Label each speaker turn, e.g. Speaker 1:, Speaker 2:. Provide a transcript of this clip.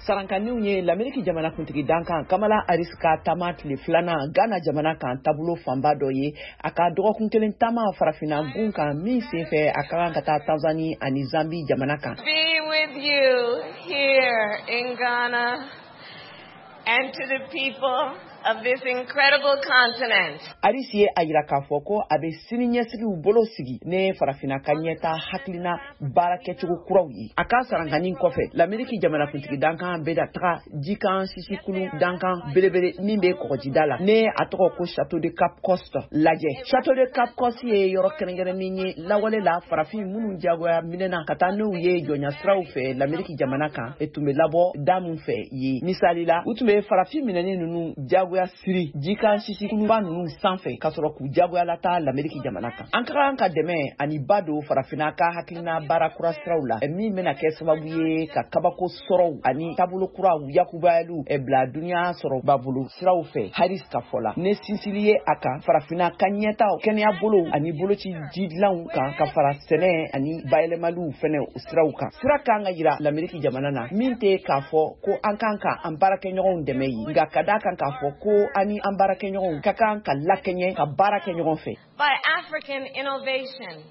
Speaker 1: Sarankanniw ye Lameriki jamanakuntigi dankan Kamala Harris ka taama tile filanan Ghana jamana kan taabolo fanba dɔ ye, a ka dɔgɔkun kelen taama farafinna gun kan min senfɛ, a ka kan ka taa Tanzanie ani Zambie jamana kan.
Speaker 2: Be with you here in Ghana and to the people of this incredible continent.
Speaker 1: Harris ye a yira k'a fɔ ko a bɛ sini ɲɛsigiw bolo sigi ne farafinna ka ɲɛta hakilina baara kɛcogo kuraw ye. A ka sarankanni kɔfɛ, Lameriki jamanakuntigi dankan bɛna taga jikan sisikulu dankan belebele min bɛ kɔgɔjida la, ne a tɔgɔ ko Château de Cape Coast lajɛ. Château de Cape Coast ye yɔrɔ kɛrɛnkɛrɛnnen ye lawale la, farafin minnu jagoya minɛna ka taa n'u ye jɔnya siraw fɛ Lameriki jamana kan, e tun bɛ labɔ da min fɛ ye. Misali la, u tun bɛ farafin minɛni ninnu jagoya siri jikan sisikuluba ninnu sanfɛ ka sɔrɔ k'u jagoya lataa Lameriki jamana kan. An ka kan ka dɛmɛ ani ba don farafinna ka hakilina baara kura siraw la min bɛna kɛ sababu ye ka kabako sɔrɔw ani taabolo kuraw yakubayaliw bila duniya sɔrɔba bolo siraw fɛ, Harris ka fɔ la, ne sinsili ye a kan farafinna ka ɲɛtaw kɛnɛya bolow ani boloci jidilanw kan, ka fara sɛnɛ ani bayɛlɛmaliw fɛnɛ siraw kan. Sira kan ka yira Lameriki jamana na min tɛ k'a fɔ ko an kan ka an baarakɛɲɔgɔnw dɛmɛ ye, nka ka d'a kan k'a fɔ ko an ni an baarakɛɲɔgɔnw ka kan ka lakɛɲɛ ka baara kɛ ɲɔgɔn fɛ.
Speaker 2: By African innovation.